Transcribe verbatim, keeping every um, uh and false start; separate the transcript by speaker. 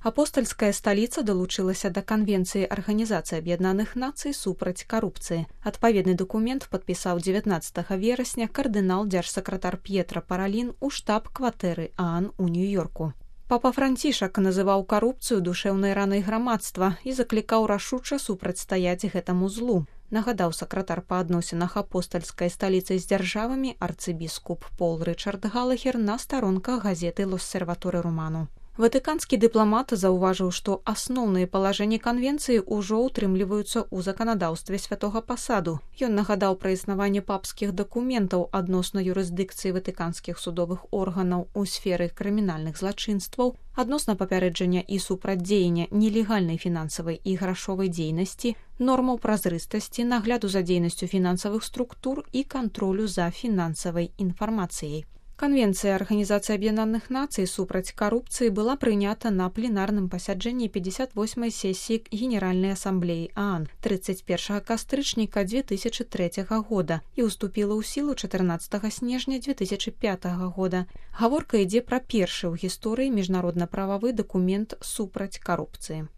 Speaker 1: Апостальская сталіца далучылася да Канвенцыі Арганізацыі Аб'яднаных Нацый супраць карупцыі. Адпаведны дакумент падпісаў дзевятнаццатага верасня кардынал дзяржсакратар П'етра Паралін у штаб-кватэры ААН у Нью-Йорку. Папа Францішак называў карупцыю душэўнай ранай грамадства і заклікаў рашуча супрацьстаяць гэтаму злу. Нагадаў сакратар па адносінах апостальскай сталіцы з дзяржавамі арцыбіскуп Пол Рычард Галагер на старонках газеты «Л'Осерваторе Романо». Ватыканскі дыпламат заўважыў, што асноўныя палажэнні канвенцыі ўжо ўтрымліваюцца ў заканадаўстве святога пасаду. Ён нагадаў пра існаванне папскіх дакументаў адносна юрысдыкцыі ватыканскіх судовых органаў у сферы крымінальных злачынстваў, адносна папярэджання і супрацьдзеяння нелегальнай фінансавай і грашовай дзейнасці, нормаў празрыстасці, нагляду за дзейнасцю фінансавых структур і кантролю за фінансавай інфармацыяй. Канвенцыя Арганізацыі Аб'яднаных Нацый супраць карупцыі была прынята на пленарным пасяджэнні пятьдесят восьмай сесіі Генеральнай асамблеі ААН тридцать первого кастрычніка две тысячи третьего года і ўступіла ў сілу чатырнаццатага снежня две тысячи пятого года. Гаворка ідзе пра першы ў гісторыі міжнародна-прававы дакумент супраць карупцыі.